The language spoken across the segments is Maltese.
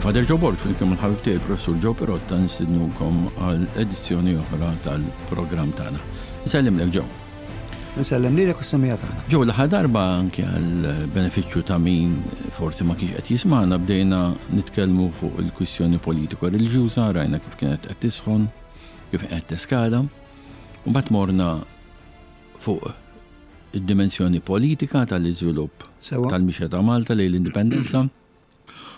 Father Joe Borg flimkien mal-ħabib tiegħi il-Professur Joe Pirotta nistidnukom għal edizzjoni oħra tal-programm tagħna. Nsellimlek Joe. Nsellem lilek u s-semija tagħna. Joe, l-aħħar darba anke għal benefiċċju ta' min forsi ma kienx qed jismagħna bdejna nitkellmu fuq il-kwistjoni politiko reliġjuża, rajna kif kienet qed tisħon, kif qed teskala. U mbagħad morna fuq id-dimensjoni politika tal-iżvilupp tal-mixja ta' Malta lejn l-indipendenza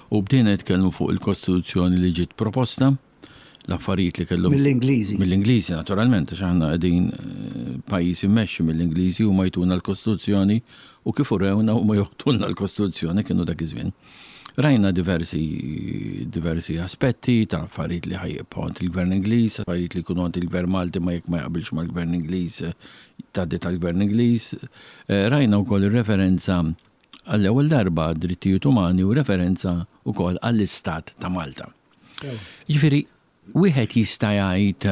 u bdejna nitkellmu fuq il-Kostituzzjoni li ġiet proposta, l-affarijiet li kellhom. Mill-Ingliżi. Mill-Ingliżi, naturalment, għax aħna qegħdin eh, pajjiż immexxi mill-Ingliżi huma jtuna l-Kostituzzjoni u kif urewna huma joħtulna l-Kostituzzjoni kienu dak iż-żmien. Rajna diversi diversi aspetti ta' affarijiet li ħa jibqgħu għand il-Gvern Ingliż, affarijiet li jkunu għand il-Gvern Malti ma jekk ma jaqbilx mal-Gvern Ingliż tgħaddi tal-Gvern Ingliż. Rajna wkoll ir-referenza għall-ewwel darba għad-drittijiet umani u referenza wkoll għall-Istat ta' Malta. Jiġifieri wieħed jista' jgħid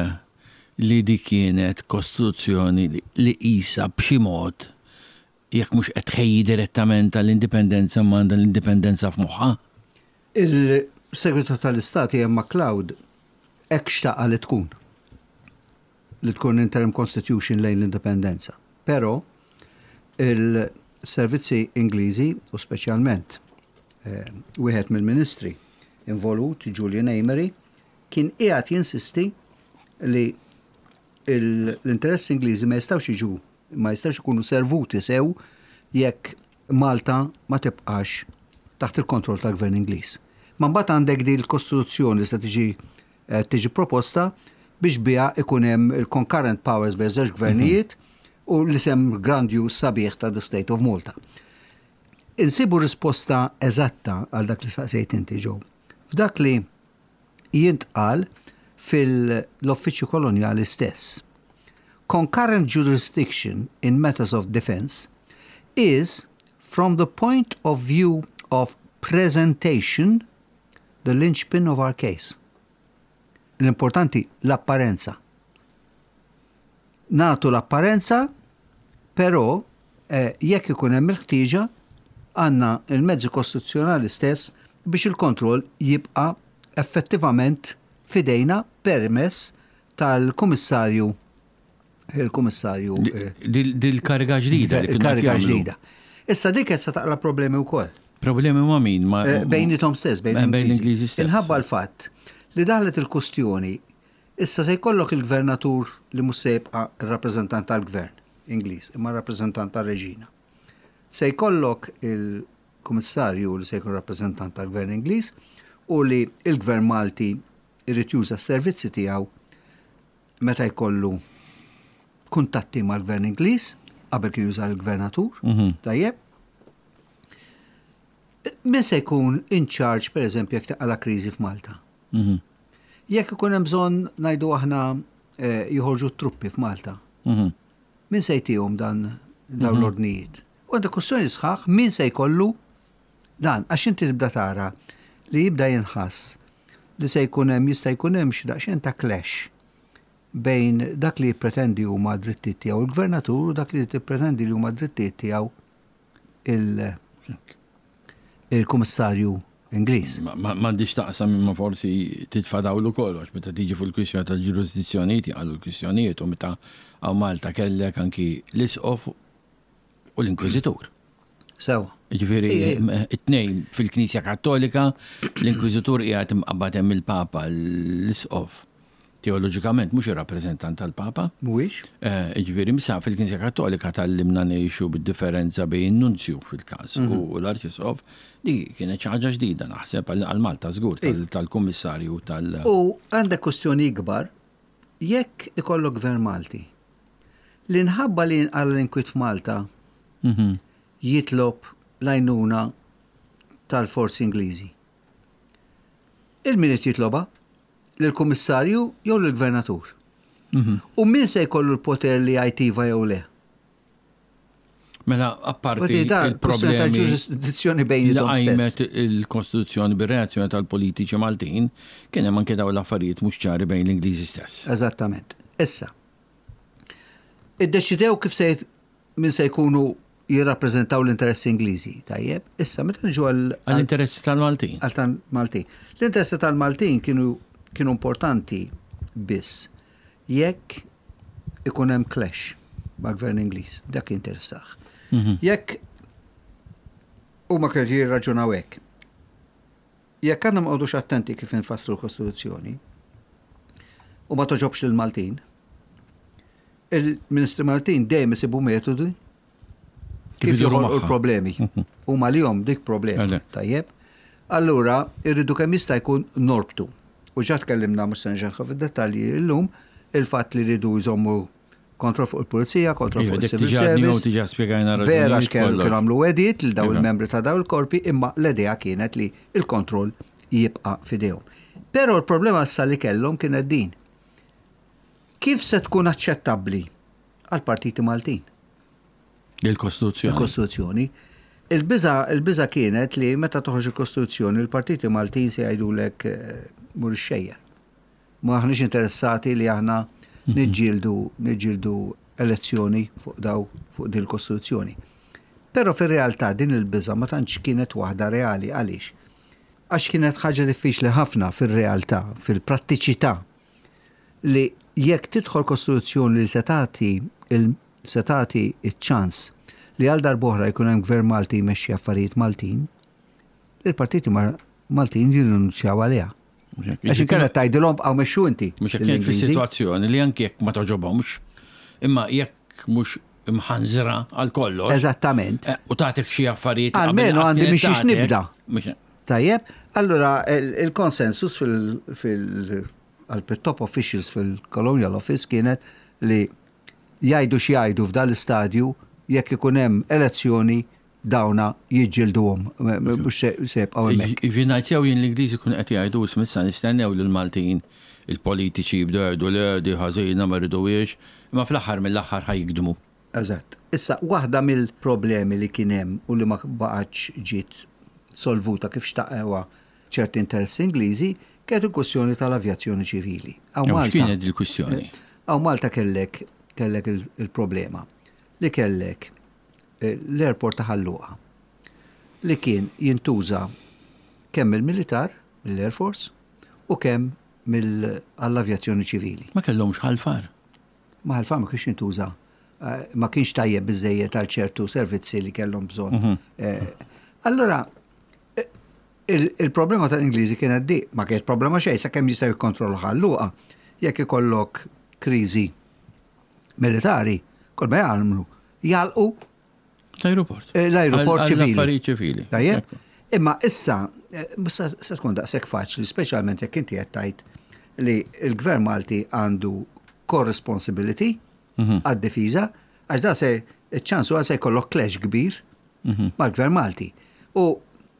li dik kienet Kostituzzjoni li qisha b'xi mod jekk mhux qed tħejji direttament għall-indipendenza imma għandha l-indipendenza f'moħħha. Il-Segretarju tal-Istat Ian MacLeod hekk xtaqha li tkun, li tkun interim constitution lejn l-indipendenza. Però il-servizzi Ingliżi u speċjalment eh, wieħed mill-ministri involut, Julian Amery, kien qiegħed jinsisti li l-interessi Ingliżi ma jistgħux jiġu ma jistgħux ikunu servuti sew jekk Malta ma tibqax taħt il-kontroll tal-Gvern Ingliż. Ma mbagħad għandek din il-Kostituzzjoni li se tiġi eh, tiġi proposta biex biha ikun hemm il-concurrent powers bejn żewġ gvernijiet u l-isem grandjuż sabiħ ta' The State of Malta. Insibu risposta eżatta għal dak li saqsejt inti Joe. F'dak li jintqal fil-Uffiċċju Kolonjali stess. Concurrent jurisdiction in matters of defence is, from the point of view of presentation, the linchpin of our case. L-importanti l-apparenza. Nagħtu l-apparenza, però jekk ikun hemm il-ħtieġa għandna l-mezzi kostituzzjonali stess biex il-kontroll jibqa' effettivament f'idejna permess tal-Kummissarju il-Kummissarju Dil-kariga ġdida li kienu qed kariga ġdida. Issa dik qed se taqla' problemi wkoll. Problemi ma' min? Bejniethom stess, bejn l-Ingliżi stess. Inħabba l-fatt li daħlet il-kustjoni Issa se jkollok il-gvernatur li mhux se jibqa' r-rappreżentant tal-gvern Ingliż imma r-rappreżentant tar-reġina. Se jkollok il-kummissarju li se jkun rappreżentant tal-gvern Ingliż u li l-gvern Malti jrid juża s-servizzi tiegħu meta jkollu kuntatti mal-gvern Ingliż, qabel kien juża l-gvernatur, tajjeb. Min se jkun in charge, per eżempju, jekk taqala' kriżi f'Malta? Jekk ikun hemm bżonn ngħidu aħna joħorġu t-truppi f'Malta, min se jtihom dan dawn l-ordnijiet? U għandek kwistjoni sħaħ min se jkollu dan għax inti tibda tara li jibda jinħass li se jkun hemm jista' jkun hemm xi daqsxejn ta' clash bejn dak li jippretendi huma drittijiet tiegħu il-gvernatur u dak li jippretendi li huma drittijiet tiegħu il-Kummissarju Ingliż. M'għandix taqsam imma forsi titfa' dawl ukoll għax meta tiġi fuq il-kwistjoni tal-ġurisdizzjonijiet jaqalu l-kwistjonijiet u meta hawn Malta kellek anki l-Isqof u l-Inkwiżitur. Sewa. Jiġifieri it-tnejn fil-Knisja Kattolika, l-Inkwiżitur qiegħed imqabbad hemm il-Papa, l-Isqof Teoloġikament mhux ir-rappreżentant tal-Papa. Mhuwiex. Jiġifieri msa fil-Knisja Kattolika tgħallimna ngħixu bid-differenza bejn in-nunzju fil-każ u l-Arċisqof. Dik kienet xi ħaġa ġdida naħseb għal Malta żgur tal-Kummissarju tal. U għandek kwistjoni ikbar, jekk ikollok Gvern Malti li nħabba li jinqala' l-inkwiet f'Malta jitlob l-għajnuna tal-forzi Ingliżi. Il min qed jitlobha? Lill-Kummissarju jew lill-Gvernatur? U min se jkollu l-poter li jgħid iva jew le? Mela, apparti il-problemi tal-ġurisdizzjoni bejniethom stess. Qajmet il-Kostituzzjoni bir-reazzjoni tal-politiċi Maltin, kien hemm anke dawn l-affarijiet mhux ċari bejn l-Ingliżi stess. Eżattament. Issa, iddeċidew kif se min se jkunu jirrappreżentaw l-interessi Ingliżi, tajjeb? Issa meta niġu għal Għall-interessi tal-Maltin. Għal tal-Maltin. L-interessi tal-Maltin kienu kienu importanti biss jekk ikun hemm clash mal-Gvern Ingliż, dak jinteressah. Jekk huma kienu jirraġunaw hekk. Jekk aħna ma nqogħdux attenti kif infasslu l-Kostituzzjoni u ma toġobx lill-Maltin, il-Ministri Maltin dejjem isibu metodi kif joħolqu l-problemi. Huma għalihom dik problema. Tajjeb? Allura, irridu kemm jista' jkun norbtu. U ġa tkellimna mhux se nerġa' nidħol fid-dettalji llum, il-fatt li rridu jżommu kontroll fuq il-pulizija, kontroll fuq il-civil service. Diġà spjegajna Vera x'kienu kienu għamlu wegħdiet lil dawn il-membri ta' dawn il-korpi, imma l-idea kienet li l-kontroll jibqa' f'idejhom. Però l-problema issa li kellhom kienet din. Kif se tkun aċċettabbli għall-partiti Maltin? Il-Kostituzzjoni. Il-Kostituzzjoni. Il-biża' il-biża' kienet li meta toħroġ il-Kostituzzjoni l-partiti Maltin se jgħidulek mur ixxejjer. Ma aħniex interessati li aħna niġġieldu niġġieldu elezzjoni fuq daw fuq din il-Kostituzzjoni. Però fir-realtà din il-biża' ma tantx kienet waħda reali għaliex? Għax kienet ħaġa diffiċli ħafna fir-realtà, fil-prattiċità li jekk tidħol Kostituzzjoni li se tagħti se tagħti ċ-ċans li għal darb'oħra jkun hemm Gvern Malti jmexxi affarijiet Maltin, il-partiti Maltin jirrinunzjaw għaliha. Għax inkella tgħidilhom bqgħu mexxu inti. Mhux hekk kienet fis-sitwazzjoni li anki jekk ma toġobhomx, imma jekk mhux imħanżra għal kollox. Eżattament. Eh, u tagħtik xi affarijiet. Almenu għandi biex xiex nibda. Tajjeb, allura il-konsensus fil top officials fil-Colonial Office kienet li jgħidu x'jgħidu f'dan l-istadju jekk ikun hemm elezzjoni dawna jiġġilduhom, mhux se jibqgħu hemmhekk. Jiġifieri ngħid jew jien l-Ingliżi jkunu qed jgħidu isma' issa nistennew li l-Maltin, il-politiċi jibdew jgħidu le di ħażina ma rriduhiex, imma fl-aħħar mill-aħħar ħa jigdmu. Eżatt. Issa, waħda mill-problemi li kien hemm u li ma baqgħetx ġiet solvuta kif xtaqewha ċerti interessi Ingliżi kienet il-kwistjoni tal-avjazzjoni ċivili. Hawn Malta. X'kienet il-kwistjoni? Hawn Malta kellek kellek il-problema li kellek l-airport ta' Ħal Luqa li kien jintuża kemm mill-militar, mill-Air Force, u kemm għall-avjazzjoni ċivili. Ma kellhomx Ħal Far? Ma Ħal Far ma kienx jintuża, ma kienx tajjeb biżżejjed għal ċertu servizzi li kellhom bżonn. Allura, il-problema tal-Ingliżi kienet di, ma kienet problema xejn, sakemm jistgħu jikkontrollu Ħal Luqa, jekk ikollok kriżi militari, kull ma jagħmlu, jagħlqu l-aeroport. Eh, l-aeroport ċivili. L-affarijiet ċivili. Tajjeb? Imma issa, eh, mhux se tkun daqshekk faċli, speċjalment jekk inti qed tgħid li l-Gvern Malti għandu co-responsibility mhm. għad-difiża, għax da se ċ-ċans huwa se jkollok clash kbir mhm. mal-Gvern Malti. U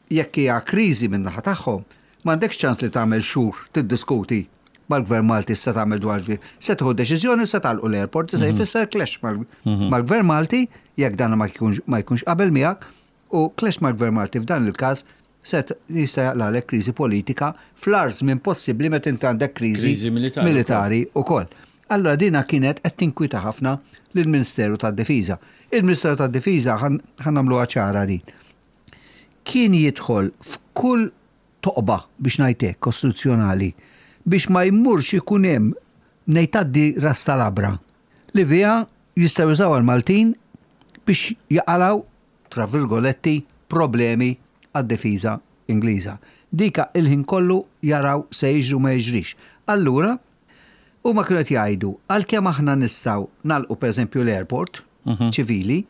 Jekk hija kriżi min-naħa tagħhom, m'għandekx ċans li tagħmel xhur tiddiskuti mal-Gvern Malti x'se tagħmel dwar Se tieħu deċiżjoni u se tagħlqu l-airport, se jfisser clash mal-Gvern Malti jekk dan ma jkunx qabel miegħek u clash mal-Gvern Malti f'dan il-każ se jista' jaqlagħlek kriżi politika fl-agħar żmien possibbli meta inti għandek kriżi militari wkoll. Allura dina kienet qed tinkwieta ħafna lill-Ministeru tad-Difiża. Il-Ministeru tad-Difiża ħa nagħmluha ċara din. kien jidħol f'kull toqba, biex ngħid hekk, kostituzzjonali, biex ma jmurx ikun hemm mnejn tgħaddi ras ta' labra li fiha jistgħu jużawha l-Maltin biex jaqalgħu, tra virgoletti, problemi għad-difiża Ingliża. Dika il-ħin kollu jaraw se jiġri u ma jiġrix. Allura, huma kienu qed jgħidu, għalkemm aħna nistgħu nagħlqu pereżempju l-airport ċivili,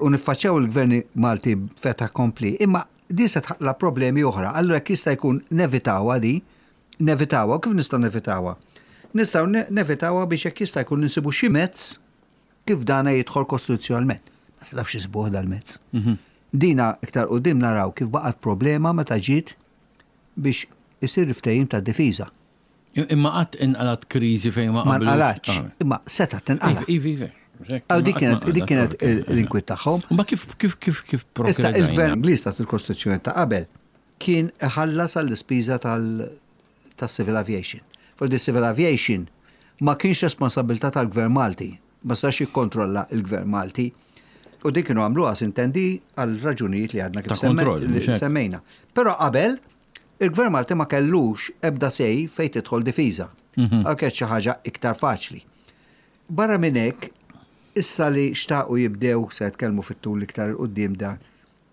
u niffaċċjaw il-Gvern Malti b'fet accompli, imma din se tħalla problemi oħra. Allura jekk jista' jkun nevitawha di, nevitawha, u kif nistgħu nevitawha? Nistgħu nevitawha biex jekk jista' jkun insibu xi mezz kif dana jidħol kostituzzjonalment. Ma setgħux isibuh dal-mezz. Mhm. Dina iktar quddiem naraw kif baqgħet problema meta ġiet biex isir ftehim ta' difiża. Imma qatt inqalgħet kriżi fejn ma Ma nqalgħetx, ah. imma setgħet tinqala'. Iva, iva. Għaw dik kienet dik kienet l-inkwiet tagħhom. Ma kif kif kif kif Issa il-gvern Ingliż taħt il-Kostituzzjoni ta' qabel kien iħallas għall-ispiża tal-civil aviation. Fuq di civil aviation ma kienx responsabilità tal-gvern Malti, ma setax jikkontrolla il-gvern Malti. U dik kienu għamluha sintendi għal raġunijiet li għadna kif semmejna. Però qabel il-Gvern Malti ma kellux ebda say fejn tidħol difiża. Għal xi ħaġa iktar faċli. Barra minn hekk, issa li xtaqu jibdew se jitkellmu fit-tul iktar quddiem dan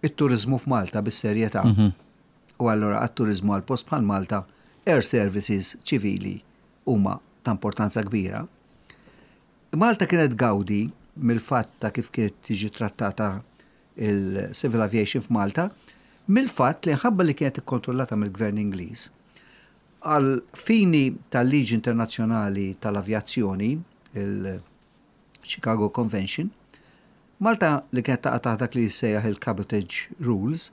it-turizmu f'Malta bis-serjetà. U allura għat-turizmu għal post bħal Malta, air services ċivili huma ta' importanza kbira. Malta kienet tgawdi mill-fatt ta' kif kienet tiġi trattata il-civil aviation f'Malta, mill-fatt li ħabba li kienet ikkontrollata mill-Gvern Ingliż, għal fini tal-liġi internazzjonali tal-avjazzjoni, il-Chicago Convention, Malta li kienet taqa' taħt dak li jissejjaħ il-Cabotage Rules,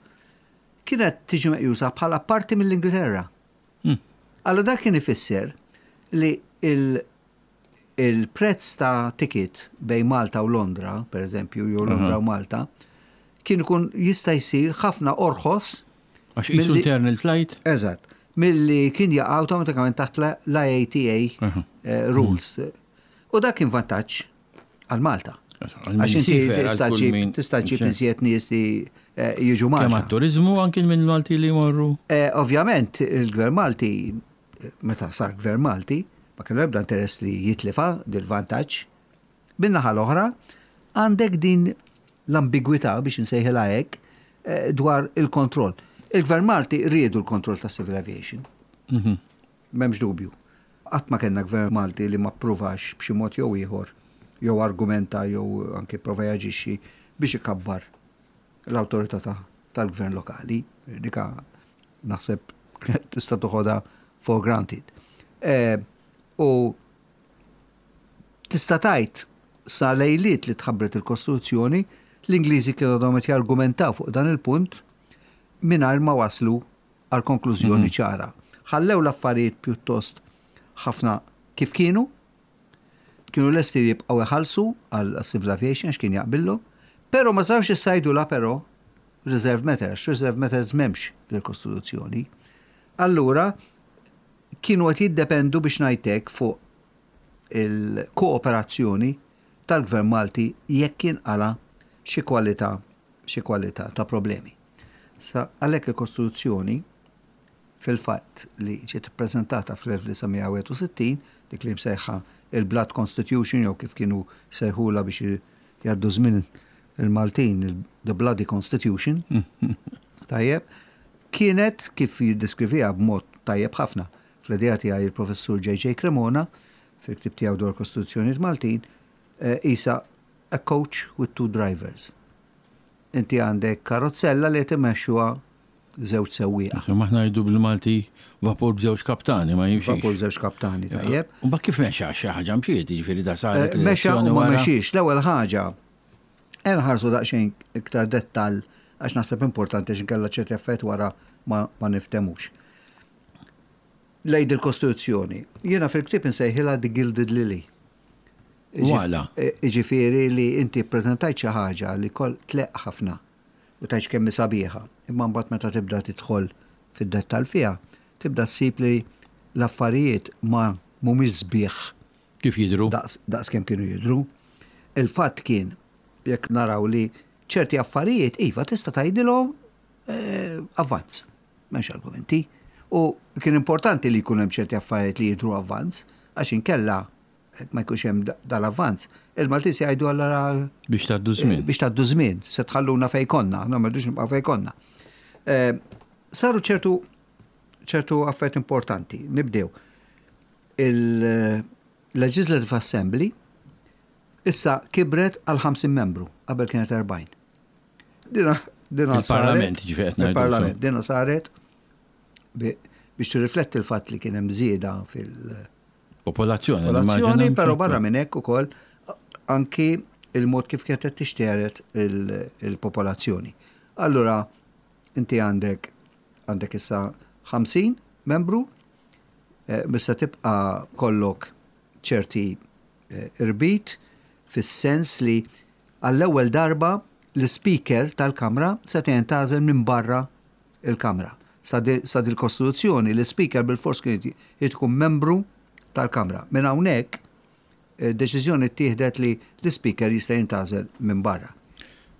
kienet tiġi meqjusa bħala parti mill-Ingilterra. Allora dak kien ifisser li il-prezz ta' ticket bejn Malta u Londra, per eżempju, jew Londra u Malta, kien ikun jista' jsir ħafna orħos. Għax qisu internal flight? Eżatt. Milli kien jaqa' awtomatikament taħt l-IATA rules. U dak kien vantaġġ għal Malta. Għax inti tista' ġġib iżjed nies li jiġu Malta. Kemm għat-turiżmu anki minn Malti li jmorru? Ovvjament, il-Gvern Malti, meta sar Gvern Malti, ma kellu ebda interess li jitlifa dil-vantaġġ. Min-naħa l-oħra, għandek din l-ambigwità biex insejħilha hekk dwar il-kontroll. Il-Gvern Malti riedu l-kontroll ta' civil aviation. M'hemmx dubju. Qatt ma kellna Gvern Malti li ma ppruvax b'xi mod jew ieħor jew argumenta jew anki prova jaġixxi biex ikabbar l-awtorità tal-gvern lokali. Dika naħseb tista' toħodha for granted. U tista' tgħid sa lejliet li tħabbret il-Kostituzzjoni, l-Ingliżi kienu għadhom qed jargumentaw fuq dan il-punt mingħajr ma waslu għal konklużjoni ċara. Ħallew l-affarijiet pjuttost ħafna kif kienu, kienu lesti li jibqgħu iħallsu għal civil aviation għax kien jaqbillhom, però ma sawx issajdu la però reserve matters, reserve matters m'hemmx fil-Kostituzzjoni. Allura kienu qed jiddependu biex ngħidlek fuq il-kooperazzjoni tal-Gvern Malti jekk jinqala xi kwalità ta' problemi. Sa għalhekk il-Kostituzzjoni fil-fatt li ġiet ippreżentata fl-1961, dik li msejħa il-Blood Constitution jew kif kienu sejħula biex jgħaddu żmien il-Maltin, the Bloody Constitution, tajjeb, kienet kif jiddeskriviha b'mod tajjeb ħafna fl-idea tiegħi il-professur J.J. Cremona fil-ktib tiegħu dwar Kostituzzjonijiet Maltin, isa a coach with two drivers. Inti għandek karozzella li timexxuha żewġ sewwieqa. Insomma, aħna ngħidu bil-Malti vapur b'żewġ kaptani, ma jimxix. Vapur żewġ kaptani, tajjeb. U ba kif mexa xi ħaġa mxiet, jiġifieri da saret Mexa u l-elezzjoni ma wara. mexiex. L-ewwel ħaġa, nħarsu daqsxejn iktar dettal għax naħseb importanti għax inkella ċerti affarijiet wara ma niftemux. Lejn il-Kostituzzjoni. Jiena fil-ktieb insejħilha The Gilded Lily. Wala. Iġifieri li inti ppreżentajt xi ħaġa li kol tleq ħafna u tgħidx kemm sabiħa, imma mbagħad meta tibda tidħol fid-dettall fiha, tibda ssib li l-affarijiet ma mhumiex sbieħ Kif jidru? daqs kemm kienu jidru. Il-fatt kien jekk naraw li ċerti affarijiet iva tista' tgħidilhom avvanz, m'hemmx argumenti. U kien importanti li jkun hemm ċerti affarijiet li jidru avvanz, għax inkella ma jkunx hemm dal-avvanz. Il-Maltin se jgħidu allura Biex tgħaddu żmien. Biex tgħaddu żmien, se tħalluna fej konna, aħna ma rridux nibqgħu fej konna. Saru ċertu affarijiet importanti. Nibdew. Il-Legislative Assembly issa kibret għal 50 membru, qabel kienet 40. Dina Il-Parlament, saret- ġifieri qed ngħidu, Il-Parlament, so. dina saret biex tirrifletti l-fatt li kien hemm żieda fil- Popolazzjoni. popolazzjoni, nimmaġina. però barra minn hekk ukoll anki il-mod kif kienet qed tixteret il-popolazzjoni. Allura inti għandek issa 50 membru, bista tibqa' kollok ċerti irbit fis-sens li għall-ewwel darba l-speaker tal-Kamra se jintgħażel minn barra il-Kamra. Sa dil-Kostituzzjoni l-speaker bil-fors kien jkun membru tal-Kamra. Minn hawnhekk deċiżjoni ttieħdet li l-speaker jista' jintgħażel minn barra.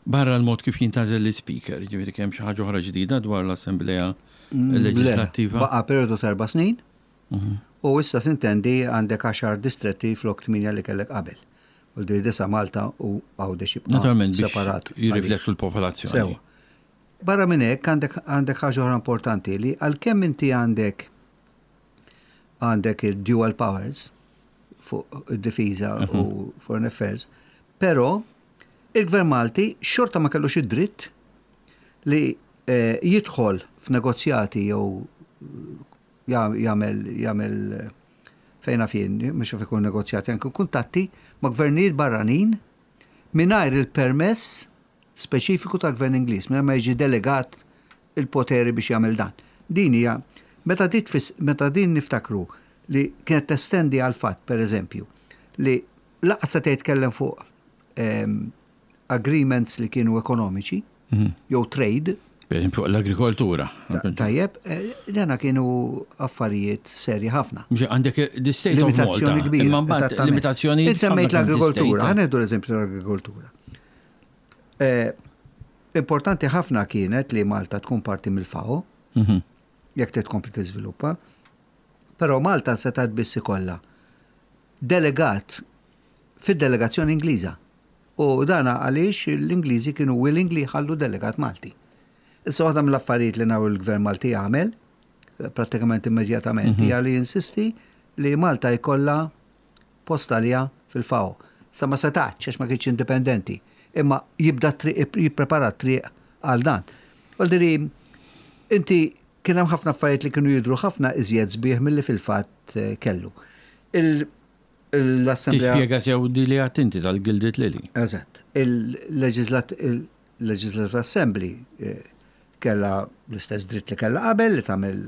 Barra l-mod kif jintgħażel l-Ispeaker, jiġifieri kemm xi ħaġa oħra ġdida dwar l-Assemblea Leġislattiva? Baqa' perjodu ta' erba' snin u issa sintendi għandek għaxar distretti flok tmienja li kellek qabel. U di disa' Malta u Għawdex jibqa' Naturalment biex separat. Jirriflettu l-popolazzjoni. Sewa. Barra minn hekk għandek għandek ħaġa oħra importanti li għalkemm inti għandek għandek il-dual powers fuq id-difiża u foreign affairs, però il-Gvern Malti xorta ma kellux id-dritt li eh, jidħol f'negozjati jew jagħmel jagħmel fejn naf jien, mhux jaf ikun negozjati, anke kuntatti ma' gvernijiet barranin mingħajr il-permess speċifiku tal-Gvern Ingliż, mingħajr ma jiġi delegat il-poteri biex jagħmel dan. Din hija meta di tfiss meta din niftakru li kienet testendi għall-fatt, per eżempju, li lanqas seta' jitkellem fuq agreements li kienu ekonomiċi jew trade. Per eżempju, fuq l-agrikoltura. Tajjeb, dana kienu affarijiet serji ħafna. Mhux għandek the state of Malta. Limitazzjoni kbira. Imma mbagħad limitazzjoni. Semmejt l-agrikoltura, ħa nieħdu l-eżempju tal-agrikoltura. Importanti ħafna kienet li Malta tkun parti mill-FAO, jekk trid tkompli tiżviluppa. Però Malta setgħet biss ikollha delegat fid-delegazzjoni Ingliża. U dan għaliex l-Ingliżi kienu willing li jħallu delegat Malti. Issa waħda mill-affarijiet li naraw il-Gvern Malti jagħmel, prattikament immedjatament, hija li jinsisti li Malta jkollha post għaliha fil-FAO. Sa ma setgħatx għax ma kienx indipendenti, imma jibda t-triq, jipprepara t-triq għal dan. Vuol dire, inti kien hemm ħafna affarijiet li kienu jidhru ħafna iżjed sbieħ milli fil-fatt kellu. L-Assemblea. Tispjega sew di li għedt inti tal-Gilded Lily. Eżatt. Il-Legislative Assembly kellha l-istess dritt li kellha qabel li tagħmel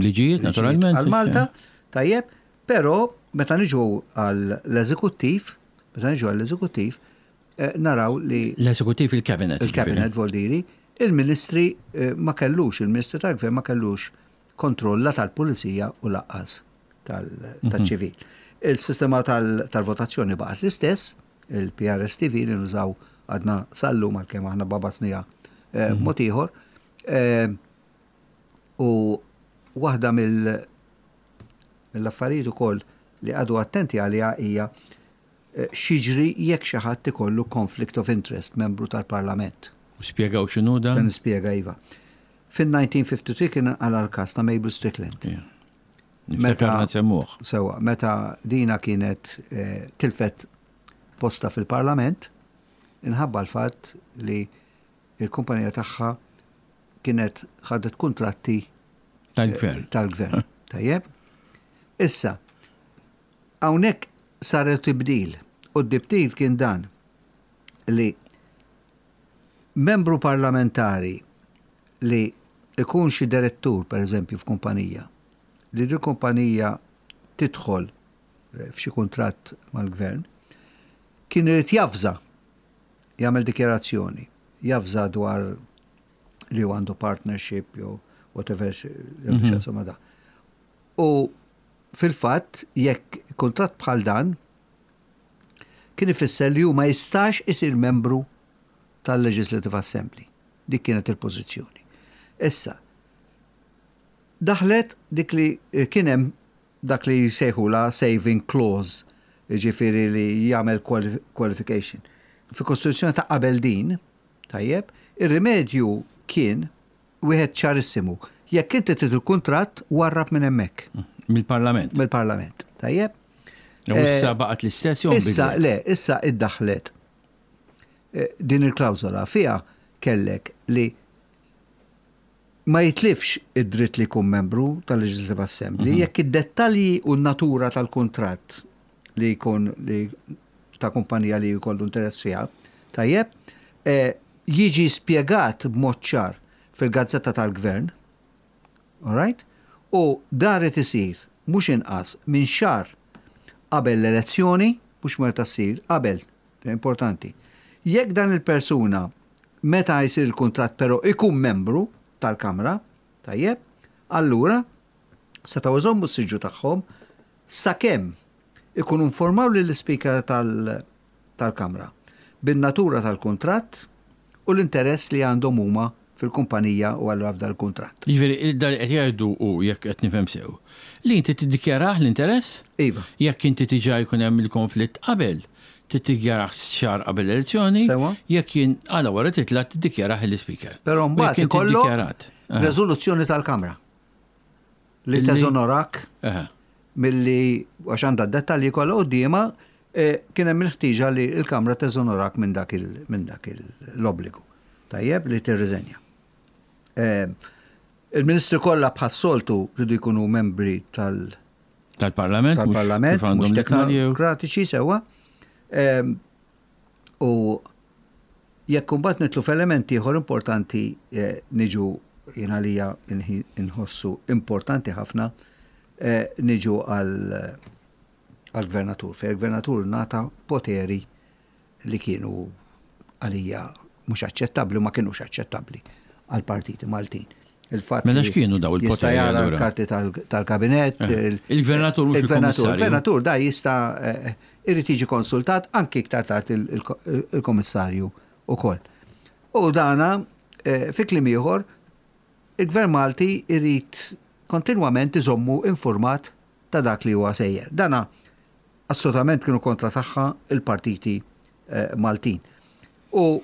liġijiet, naturalment. Għal Malta, tajjeb, però meta niġu għall-eżekuttiv, meta niġu għall-eżekuttiv, naraw li. L-eżekuttiv il-cabinet. Il-cabinet vuol dire, il-ministri ma kellux, il-ministri tal-gvern ma kellux kontroll la tal-pulizija u laqqas tal-ċivil. Il-sistema tal-votazzjoni baqgħet l-istess, il-PRSTV li nużaw għadna sal-lum għalkemm aħna babasnija mod ieħor. U waħda mill-affarijiet ukoll li għadu attenti għaliha hija x'jiġri jekk xi ħadd ikollu conflict of interest, membru tal-Parlament. U spjegaw x'inhu dan? Se nispjega, iva. Fin-1953 kien inqala' l-każ ta' Mabel Strickland. Niftakarna nsemmuh. Sewwa, meta dina kienet tilfet postha fil-Parlament inħabba l-fatt li l-kumpanija tagħha kienet ħadet kuntratti tal-gvern. Tal-gvern. Tajjeb? Issa, hawnhekk saret tibdil u d-tibdil kien dan li membru parlamentari li ikun xi direttur, per eżempju, f'kumpanija, li din kumpanija tidħol f'xi kuntratt mal-gvern, kien irid javża, jagħmel dikjarazzjoni, javża dwar li hu għandu partnership jew whatever, insomma da. U fil-fatt, jekk kuntratt bħal dan, kien ifisser li hu ma jistax isir membru tal-Legislative Assembly. Dik kienet il-pożizzjoni. Issa, daħlet dik li kien hemm dak li jsejħulha saving clause, jiġifieri li jagħmel qualification. Fil-Kostituzzjoni ta' qabel din, tajjeb, ir-rimedju kien wieħed ċarissimu. Jekk inti trid il-kuntratt, warrab minn hemmhekk. Mill-Parlament. Mill-Parlament. Tajjeb? U issa baqgħet l-istess jew Issa le, issa iddaħħlet din il-klawżola fiha kellek li ma jitlifx id-dritt li jkun membru tal-Legislative Assembly jekk id-dettalji u n-natura tal-kuntratt li jkun li ta' kumpanija li jkollu interess fiha, tajjeb, jiġi spjegat b'mod ċar fil-gazzetta tal-Gvern, all right? U dan irid isir mhux inqas minn xahar qabel l-elezzjoni, mhux meta ssir, qabel, importanti. Jekk dan il-persuna meta jsir il-kuntratt però ikun membru tal-Kamra, tajjeb, allura setgħu jżommu s-siġġu tagħhom sakemm ikunu informaw lill-Ispeaker tal-Kamra. bin-natura tal-kuntratt u l-interess li għandhom huma fil-kumpanija u allura f'dal-kuntratt. Jiġifieri dan li qed jgħidu hu, jekk qed nifhem sew, li inti tiddikjarah l-interess? Iva. Jekk inti diġà jkun hemm il-konflitt qabel, tiddikjarah xahar qabel l-elezzjoni. Sewwa. Jekk jinqala' wara titla' tiddikjarah lill-Ispeaker. Però mbagħad ikollok reżoluzzjoni tal-Kamra li teżonorak milli, għax għandha d-dettalji kollha quddiemha, kien hemm il-ħtieġa li l-Kamra teżonorak minn dak l-obbligu. Tajjeb li tirriżenja. Il-ministri kollha bħas-soltu rridu jkunu membri tal- Tal-Parlament, tal-Parlament, mhux teknokratiċi sewwa. U jekk imbagħad nidħlu f'element ieħor importanti niġu jien għalija inħossu importanti ħafna niġu għall-gvernatur. Fejn il-gvernatur ngħata poteri li kienu għalija mhux aċċettabbli u ma kinux aċċettabbli għall-partiti Maltin. Il-fatt Mela x'kienu daw il-poteri? Jista' jara l-karti tal-kabinett. Il-gvernatur mhux il-kummissarju. Il-gvernatur da jista' irid jiġi konsultat anki iktar tard il-kummissarju ukoll. U dana fi kliem ieħor il-Gvern Malti irid kontinwament iżommu informat ta' dak li huwa sejjer. Dana assolutament kienu kontra tagħha il-partiti Maltin. U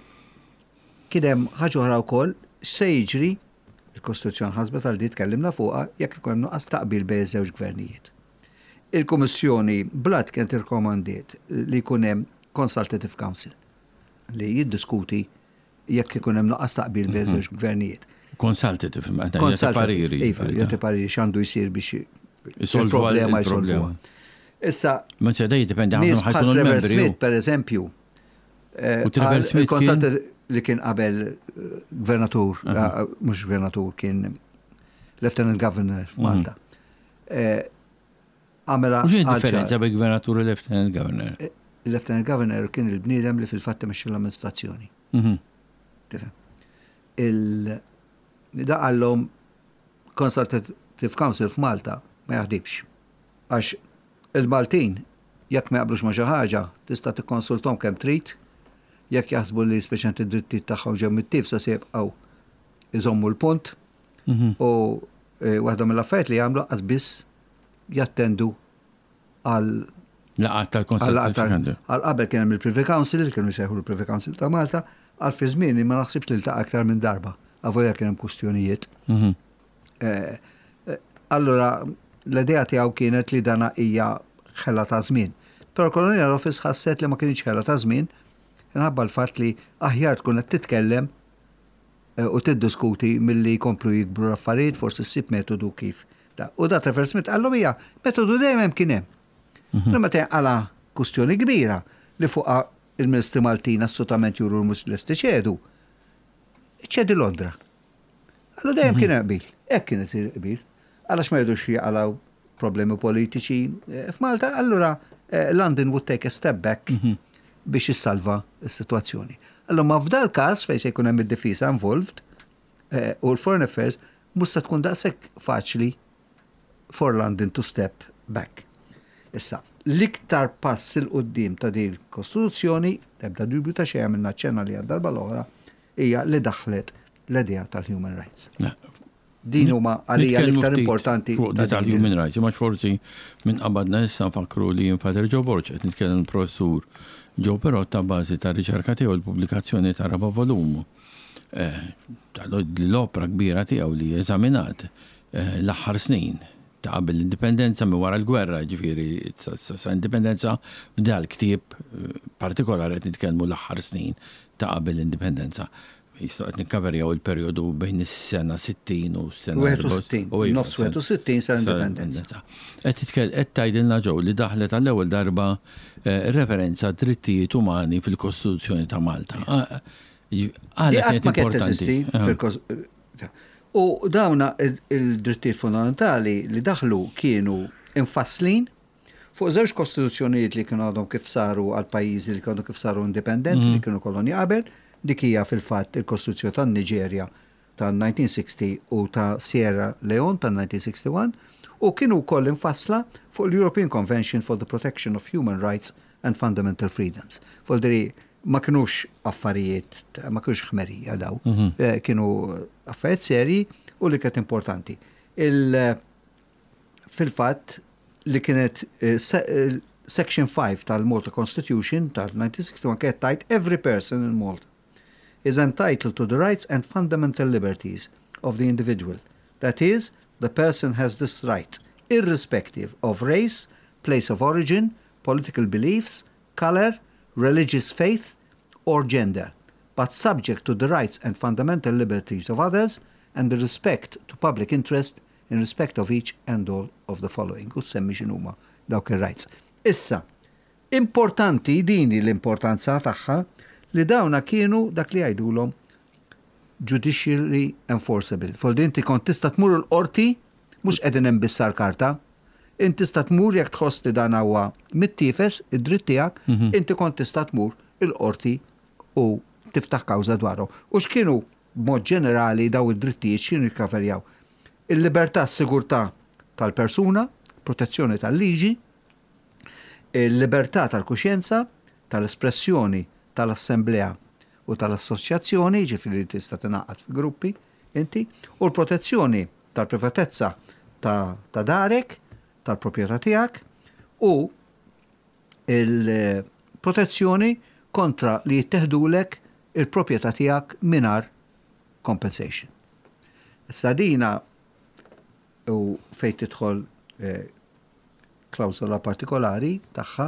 kien hemm ħaġa oħra wkoll x'se jiġri, il-Kostituzzjoni ħasbet għal di tkellimna fuqha, jekk ikun hemm nuqqas ta' qbil bejn iż-żewġ gvernijiet. Il-Kummissjoni Blatt kienet irkomandiet li jkun hemm Consultative Council li jiddiskuti jekk ikun hemm nuqqas ta' qbil bejn żewġ gvernijiet. Consultative, ma jagħti pariri. Iva, jagħti pariri x'għandu jsir biex il-problema jsolvuha. Issa, ma se dej jiddependi ħafna bħal Trevor Smith, per eżempju. U Trevor Smith li kien qabel gvernatur, mhux gvernatur, kien Lieutenant Governor f'Malta. Għamela. U x'inhi differenza bejn gvernatur u Lieutenant Governor? Il-Lieutenant Governor kien il-bniedem li fil-fatt imexxi l-amministrazzjoni. Tifhem. Il da qallhom Consultative Council f'Malta ma jaħdimx. Għax il-Maltin jekk ma jaqblux ma' xi ħaġa, tista' tikkonsulthom kemm trid, jekk jaħsbu li speċjalment id-drittijiet tagħhom ġew mittiefsa se jibqgħu iżommu l-punt. U waħda mill-affarijiet li jagħmlu qas biss jattendu għal Laqgħat tal-Consultative Għal qabel kien hemm il-Privy Council, li kienu jsejħu l-Privy Council ta' Malta, għal fi żmieni ma naħsibx li ltaqa' aktar minn darba, avolja kien hemm kwistjonijiet. Allura l-idea tiegħu kienet li dana hija ħela ta' żmien. Però Colonial Office ħasset li ma kienx ħela ta' żmien minħabba l-fatt li aħjar tkun qed titkellem u tiddiskuti milli jkomplu jikbru l-affarijiet, forsi ssib metodu kif. Da. U da Trevor Smith qallhom hija metodu dejjem hemm kien hemm. Meta jinqala' kustjoni kbira li fuqha il-Ministri Maltin assolutament juru mhux lesti ċedu, ċedi Londra. Allura dejjem kien hemm qbil. Hekk kien isir qbil. Għalax ma jridux jaqalgħu problemi politiċi f'Malta, allura London would take a step back biex issalva s-sitwazzjoni. Allura ma f'dal każ fejn se jkun hemm id-difiża involved u l-Foreign Affairs mhux se tkun daqshekk faċli for London to step back. Issa, l-iktar pass 'il quddiem ta' din il-Kostituzzjoni, ebda dubju ta' xejn għamilna ċenna li għad-darba l-oħra, hija li daħlet l-idea tal-human rights. Din huma għalija l-iktar importanti. Fuq di tal-human rights, imma forsi minn qabadna issa nfakru li jien Father Joe Borg qed nitkellem professur Joe Perotta bażi ta' riċerka tiegħu l-pubblikazzjoni ta' raba' volum tal-opra kbira tiegħu li eżaminat l-aħħar snin ta' qabel l-indipendenza minn wara l-gwerra, ġifieri sa indipendenza f'dal ktieb partikolari qed nitkellmu l-aħħar snin ta' qabel l-indipendenza. Jistgħu qed nikkaverjaw il-perjodu bejn is-sena 60 u s-sena 61, nofs 61 sa l-indipendenza. Qed titkell qed tgħidilna Joe li daħlet għall-ewwel darba referenza għad-drittijiet umani fil-Kostituzzjoni ta' Malta. Għala kienet importanti? U dawna il-drittijiet fundamentali li daħlu kienu infasslin fuq żewġ kostituzzjonijiet li kienu għadhom kif saru għal pajjiżi li kienu kif saru indipendenti li kienu kolonji qabel, dik hija fil-fatt il-Kostituzzjoni tan-Niġerja tan-1960 u ta' Sierra Leone tan-1961, u kienu wkoll imfassla fuq l-European Convention for the Protection of Human Rights and Fundamental Freedoms. Vuol dire, Ma kinux affarijiet, ma kinux ħmerija daw, kienu affarijiet serji u li kienet importanti. Fil-fatt li kienet Section 5 tal-Malta Constitution tal-1961 kienet tgħid every person in Malta is entitled to the rights and fundamental liberties of the individual. That is, the person has this right, irrespective of race, place of origin, political beliefs, color, religious faith, or gender, but subject to the rights and fundamental liberties of others and the respect to public interest in respect of each and all of the following. U semmi x'inhuma dawk ir-rights. Issa, importanti din hi l-importanza tagħha li dawna kienu dak li jgħidulhom judicially enforceable. Foldi inti kont tista' tmur il-qorti, mhux qegħdin hemm biss għall-karta, int tista' tmur jekk tħoss li dan huwa mittiefes id-dritt tiegħek, inti kont tista' tmur il-qorti u tiftaħ kawża dwarhom. U x'kienu b'mod ġenerali daw id-drittijiet x'kienu jikkaverjaw? Il-libertà, s-sigurtà tal-persuna, protezzjoni tal-liġi, il-libertà tal-kuxjenza, tal-espressjoni, tal-assemblea u tal-assoċjazzjoni, ġifieri li tista' tingħaqad fi gruppi inti, u l-protezzjoni tal-privatezza ta' darek, tal-proprjetà tiegħek, u il-protezzjoni kontra li jitteħdulek il-proprjetà tiegħek mingħajr compensation. Issa dina u fejn tidħol klawsola partikolari tagħha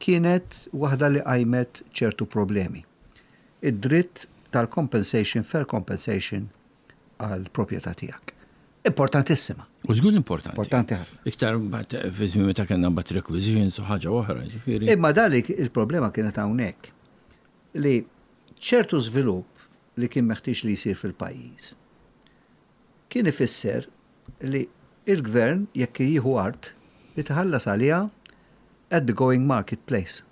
kienet waħda li qajmet ċertu problemi. Id-dritt tal-compensation, fair compensation għal proprjetà tiegħek. Importantissima. U żgur importanti. Importanti ħafna. Iktar mbagħad fi żmien meta kellna mbagħad requisitions u ħaġa oħra, ġifieri. Imma dalik il-problema kienet hawnhekk li ċertu żvilupp li kien meħtieġ li jsir fil-pajjiż kien ifisser li il-gvern jekk jieħu art li tħallas għaliha at the going marketplace.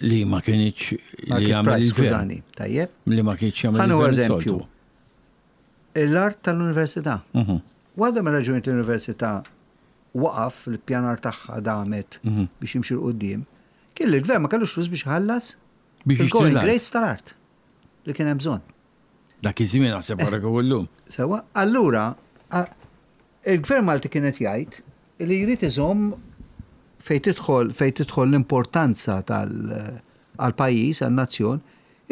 Li ma kienx li Market jagħmel price, il-gvern. skużani, tajjeb. Li ma kienx jagħmel Ħa nieħu il-gvern eżempju. soltu. L-art tal-università. Waħda mir-raġuni l-università waqaf l-pjanar tagħha damet biex jimxi 'l quddiem, kien li l-gvern ma kellux flus biex ħallas Biex jixtri il-going l-art. rates tal-art li kien hemm bżonn. Dak iż-żmien naħseb wara llum. Sewa, allura il-gvern Malti kienet jgħid li jrid iżomm fejn tidħol l-importanza tal għal-pajjiż, għal-nazzjon,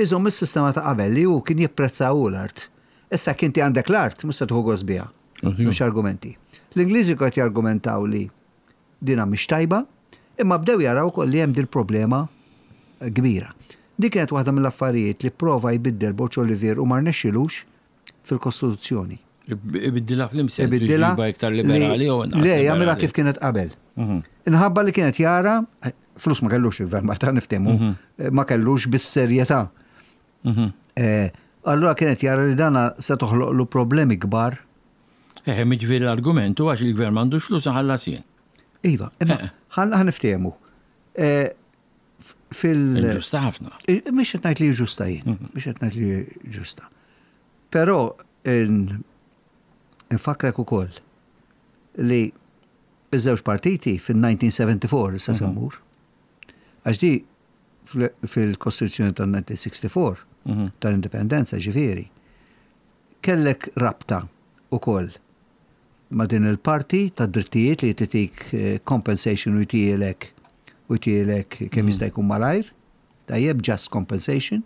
iżomm is-sistema ta' qabel li hu kien jipprezzaw l-art. Issa kinti għandek l-art, mhux se tieħu gost biha. Mhux argumenti. L-Ingliżi qed jargumentaw li dina mhix tajba, imma bdew jaraw ukoll li hemm dil-problema kbira. Dik kienet waħda mill-affarijiet li prova jbiddel Borg Olivier u ma rnexxilux fil-Kostituzzjoni. Ibiddilha fl-imsens. Ibiddilha Ibiddilha iktar liberali u inqas Le, jagħmilha liberali. kif kienet qabel. Inħabba li kienet jara, flus ma kellux il-gvern Malta niftehmu, ma kellux bis-serjetà. Allura kienet jara li dana se toħloqlu problemi kbar. Ġifieri l-argumentu għax il-gvern m'għandux flus ħallas jien. Iva, imma ħa niftehmu. Fil- Ġusta ħafna. Mhix qed ngħid li ġusta jien, mhix qed ngħid li ġusta. Però infakrek ukoll li iż-żewġ partiti fil-1974 issa semmur. Għax di fil-Kostituzzjoni tal-1964 tal-Indipendenza ġifieri, kellek rabta ukoll ma' din il-parti ta' drittijiet li titik compensation u jtielek kemm jista' jkun malajr, tajjeb just compensation.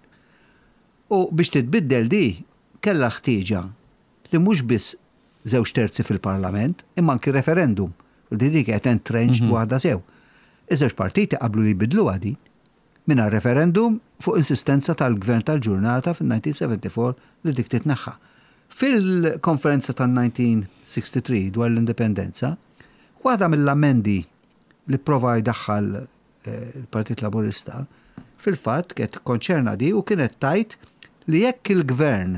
U biex titbiddel di kellha ħtieġa li mhux biss żewġ terzi fil-Parlament, imma anki referendum. U di dik qed entrenched waħda sew. Iż-żewġ partiti qablu li jbidlu għadi minna referendum fuq insistenza tal-gvern tal-ġurnata fil-1974 li dik titneħħa. Fil-konferenza tal-1963 dwar l-indipendenza, waħda mill-amendi li prova jdaħħal il-Partit Laburista, fil-fatt kienet konċerna di u kienet tgħid li jekk il-gvern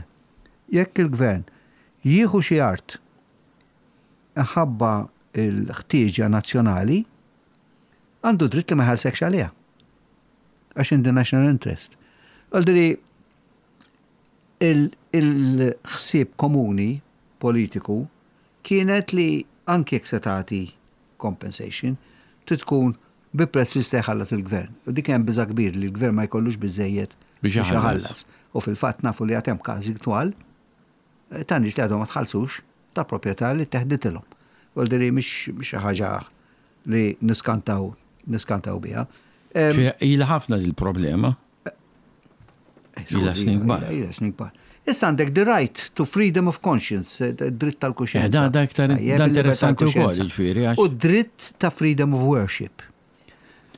jieħu xi art ħabba il-ħtieġa nazzjonali, għandu dritt li ma jħallsekx għaliha. Għax in the national interest. Għaldiri, il-ħsieb komuni politiku kienet li anki jekk se tagħti compensation, trid tkun bi prezz li jista' jħallas il-gvern. U dik hemm biża' kbir li l-gvern ma jkollux biżżejjed biex iħallas. U fil-fatt nafu li għad hemm każi twal eh, ta' nies li għadhom ma tħallsux ta' proprjetà li teħditilhom. Vuol dire mhix xi ħaġa li niskantaw niskantaw biha. Ilha ħafna il-problema. Ilha snin kbar. Ilha snin kbar. Issa għandek the right to freedom of conscience, eh, dritt tal-kuxjenza. Eh, da, da iktar interessanti wkoll, jiġifieri. U dritt ta' freedom of worship.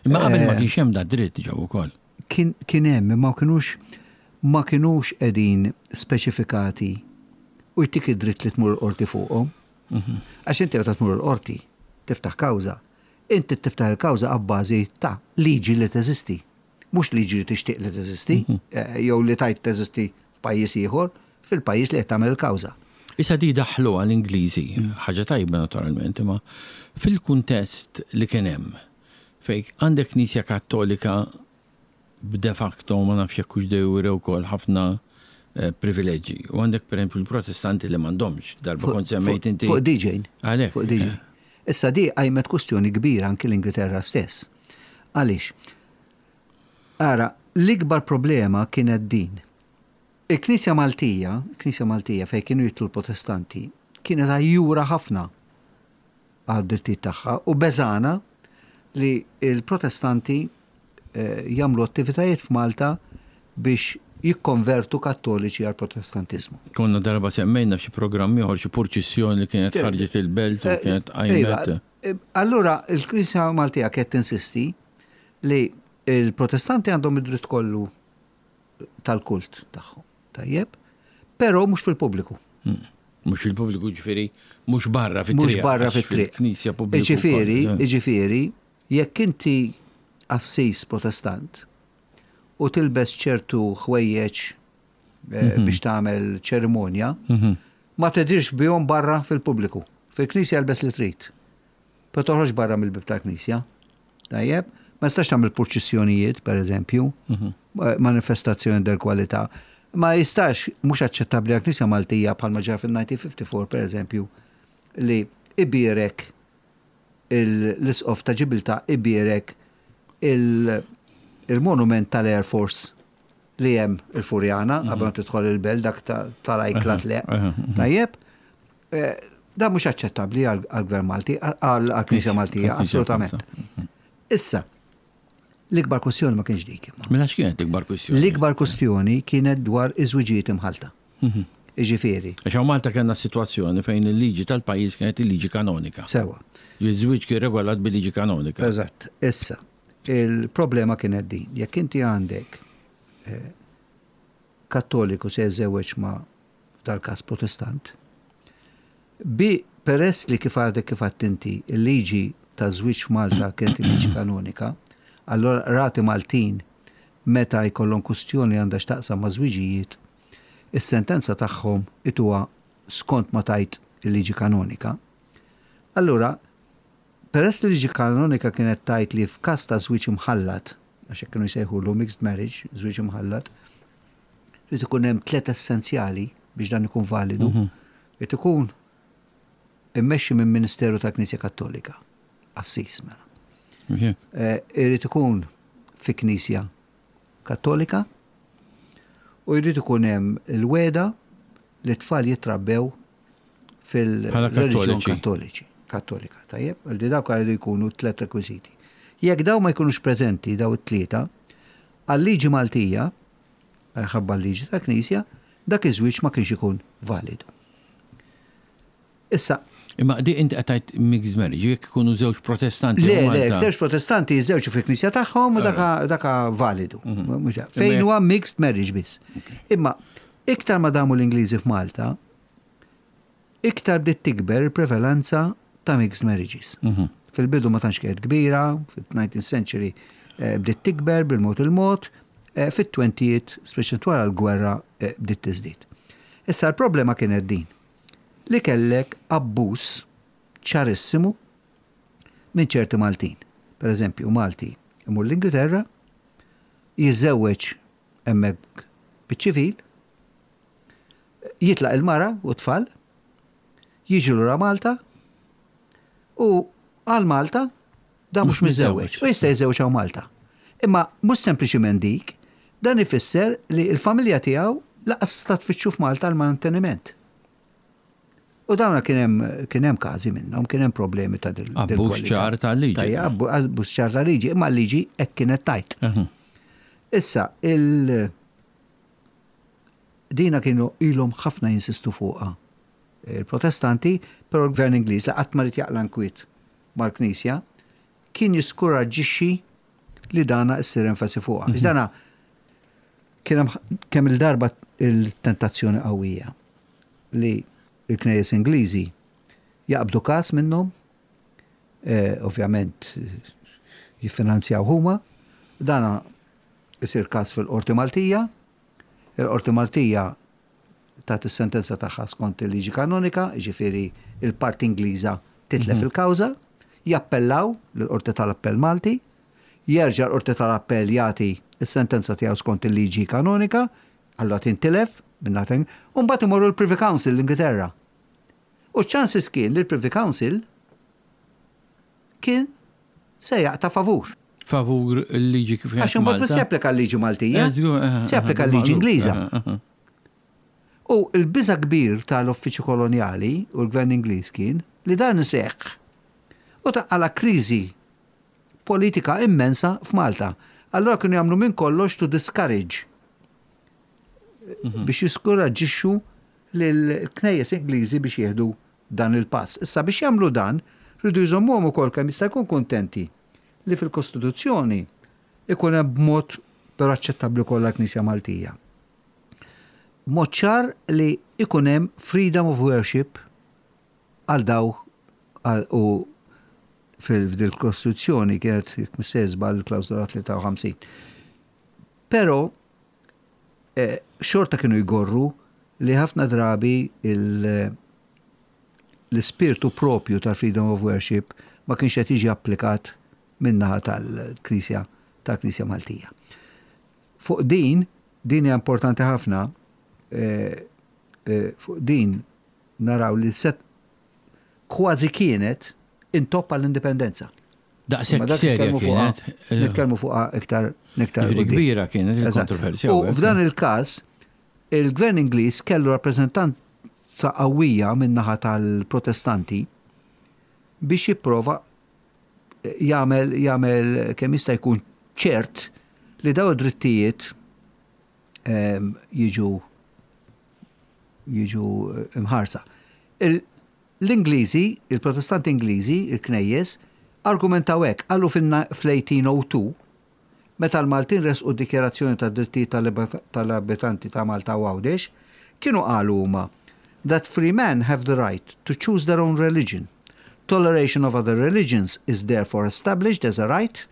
Imma qabel ma eh, kienx hemm da dritt ġew ukoll. Kien hemm, ma kienux ma kienux qegħdin speċifikati u jtik id-dritt li tmur l-qorti fuqhom. Mhm. Għax inti meta tmur l-qorti, tiftaħ kawża, inti tiftaħ il-kawża abbażi ta' liġi li teżisti. Mhux liġi li tixtieq li teżisti, mhm. eh, jew li tajt teżisti f'pajjiż ieħor, fil-pajjiż li qed tagħmel il-kawża. Issa di daħlu għall-Ingliżi, mm. ħaġa tajba naturalment, imma fil-kuntest li kien hemm fejn għandek Knisja Kattolika b'de facto ma nafx jekk hux de jure wkoll ħafna eh, privileġġi. U għandek pereżempju l-Protestanti li m'għandhomx, darba kont semmejt inti. Fuq DJ. Għalhekk. Fuq DJ. Eh. Issa di qajmet kustjoni kbira anki l-Ingilterra stess. Għaliex? Ara, l-ikbar problema kienet din. Il-Knisja Maltija, il-Knisja Maltija fejn kienu jitlu l-Protestanti, kienet għajjura ħafna għad-drittijiet tagħha u beżgħana li l-Protestanti eh, jagħmlu attivitajiet f'Malta biex jikkonvertu Kattoliċi għal Protestantiżmu. Konna darba semmejna xi programm ieħor xi purċissjoni li kienet eh, ħarġet il-belt u eh, kienet qajmet. Iva, allura il-Knisja Maltija kienet tinsisti li il-Protestanti għandhom id-dritt kollu tal-kult tagħhom. Tajjeb, però mhux fil-pubbliku. Hmm. Mhux fil-pubbliku ġifieri, mhux barra fit-triq. Mhux barra fit-triq. Knisja pubbliku. Ġifieri, eh. ġifieri, jekk inti assis protestant u tilbes ċertu ħwejjeġ eh, mhm. biex tagħmel ċerimonja, mhm. ma tidirx bihom barra fil-pubbliku. Fil-knisja albes li trid. Però toħroġ barra mill-bib tal-knisja. Tajjeb, ma jistax tagħmel purċissjonijiet, per eżempju, mhm. eh, manifestazzjoni del kwalità. Ma jistax, mhux aċċettabbli għal-Knisja Maltija bħalma ġara fil-1954, per eżempju, li ibierek l-isqof ta' Ġibilta ibierek il-monument tal-Air Force li hemm il-Furjana, mhm. qabel ma tidħol il-bel dak tal-ajkla tleq. Tajjeb, eh, da mhux aċċettabbli għall-Gvern Malti, għall-Knisja Maltija, assolutament. Issa, l-ikbar kwestjoni ma kienx dik. Mela x'kienet l-ikbar kwestjoni? L-ikbar kwestjoni kienet dwar iż-żwiġijiet imħalta. Mhm. Iġifieri. Għax hawn Malta kellna sitwazzjoni fejn il-liġi tal-pajjiż kienet il-liġi kanonika. Sewa. Iż-żwieġ kien regolat bil-liġi kanonika. Eżatt. Issa, il-problema kienet din. Jekk inti għandek eh, Kattoliku se jiżżewweġ ma' f'dal-każ Protestant, bi peress li kif għadek kif għedt inti, il-liġi taż-żwieġ f'Malta kienet il-liġi kanonika, allura qrati Maltin meta jkollhom kustjoni li għandha x'taqsam ma' żwiġijiet, is-sentenza tagħhom ituha skont ma tgħid il-liġi kanonika. Allura, peress li l-liġi kanonika kienet tgħid li f'każ ta' żwieġ imħallat, għax hekk kienu jsejħulu mixed marriage, żwieġ imħallat, Irid ikun hemm tlet essenzjali biex dan ikun validu. Mhm. Irid ikun immexxi minn Ministeru tal-Knisja Kattolika, qassis mela. Eh, irid ikun fi Knisja Kattolika u jrid ikun hemm il-weda li tfal jitrabbew fil-reliġjon kattoliċi. Kattolika, tajjeb, li dawk għalidu jkunu tlet rekwiżiti. Jekk daw ma jkunux preżenti daw it-tlieta, għal-liġi Maltija, ħabba l-liġi tal-Knisja, dak iż-żwieġ ma kienx ikun validu. Issa. Imma di inti qed tgħid mixed marriage, jekk ikunu żewġ protestanti. Le, le, żewġ protestanti jiżżewġu fil-knisja tagħhom u daka validu. Mhm. Fejn huwa mixed marriage biss. Imma iktar ma damu l-Ingliżi f'Malta, iktar bdiet tikber il-prevalenza ta' mixed marriages. Mhm. Fil-bidu ma tantx kienet kbira, fil-19th century eh, bdiet tikber bil-mod il-mod, eh, fit-20th, speċjalment wara l-gwerra eh, bdiet tiżdied. Issa l-problema kienet din li kellek abbuż ċarissimu minn ċerti Maltin. Per eżempju, Malti imur l-Ingilterra, jiżżewweġ hemmhekk biċ-ċivil, jitlaq il-mara u t-tfal, jiġi lura Malta u għal Malta Dan mhux miżżewweġ u jista' jiżżewweġ hawn Malta. Imma mhux sempliċiment dik, dan ifisser li l-familja tiegħu lanqas tista' tfittxu f'Malta għall-manteniment. U dawna kien hemm kien hemm każi minnhom, kien hemm problemi ta' dil Abbuż ċar tal-liġi. Abbuż ċar tal-liġi, imma l-liġi hekk kienet tgħid. Issa, il dina kienu ilhom ħafna jinsistu fuqha il-Protestanti, però l-Gvern Ingliż li qatt ma ried jaqla' nkwiet mal-Knisja, kien jiskuraġġixxi li dana issir enfasi fuqha. Għax dana kien hemm kemm il-darba il-tentazzjoni qawwija li l-knejjes Ingliżi jaqbdu każ minnhom, eh, ovvjament jiffinanzjaw huma, dana isir każ fil-Qorti Maltija, il-Qorti Maltija tagħti s-sentenza tagħha skont il-liġi kanonika, jiġifieri il-parti Ingliża titlef il-kawża, jappellaw lill-Qorti tal-Appell Malti, jerġa' l-Qorti tal-Appell jagħti s-sentenza tiegħu skont il-liġi kanonika, allura tintilef min-naħa u mbagħad imorru l-Privy Council l-Ingilterra. U ċ-chances kien li l-Privy Council kien se jaqta' favur. Favur il-liġi kif Għax imbagħad mhux se japplika l-liġi Maltija, se japplika l-liġi Ingliża. U l-biża' kbir tal-Uffiċċju Kolonjali u l-Gvern Ingliż kien li dan iseħħ u taqala' kriżi politika immensa f'Malta. Allura kienu jagħmlu minn kollox to discourage biex jiskuraġġixxu lill-knejjes Ingliżi biex jieħdu dan il-pass. Issa biex jagħmlu dan, riedu jżommuhom ukoll kemm jista' jkun kuntenti li fil-Kostituzzjoni ikun hemm b'mod però aċċettabbli wkoll għall-Knisja Maltija. B'mod ċar li ikun hemm freedom of worship għal dawk u fil-Kostituzzjoni kienet jekk mhux se żball il-klawżola 53. Però xorta kienu jgorru li ħafna drabi l-ispirtu propju tal-freedom of worship ma kienx qed jiġi applikat min-naħa tal-Knisja tal-Knisja Maltija. Fuq din, din hija importanti ħafna, fuq din naraw li set kważi kienet intopp għall-indipendenza. Daqshekk serja kienet. Nitkellmu fuqha iktar iktar. Kbira kienet il-kontroversja. U f'dan il-każ, il-gvern Ingliż kellu rappreżentanza qawwija min-naħa tal-Protestanti biex jipprova jagħmel jagħmel kemm jista' jkun ċert li daw id-drittijiet jiġu jiġu imħarsa. L-Ingliżi, il-Protestanti Ingliżi, il-knejjes, argumentaw hekk, qalu fl-1802, meta l-Maltin ressqu d-Dikjarazzjoni tad-Drittijiet tal-Abitanti ta' Malta u Għawdex, kienu qalu huma that free men have the right to choose their own religion. Toleration of other religions is therefore established as a right,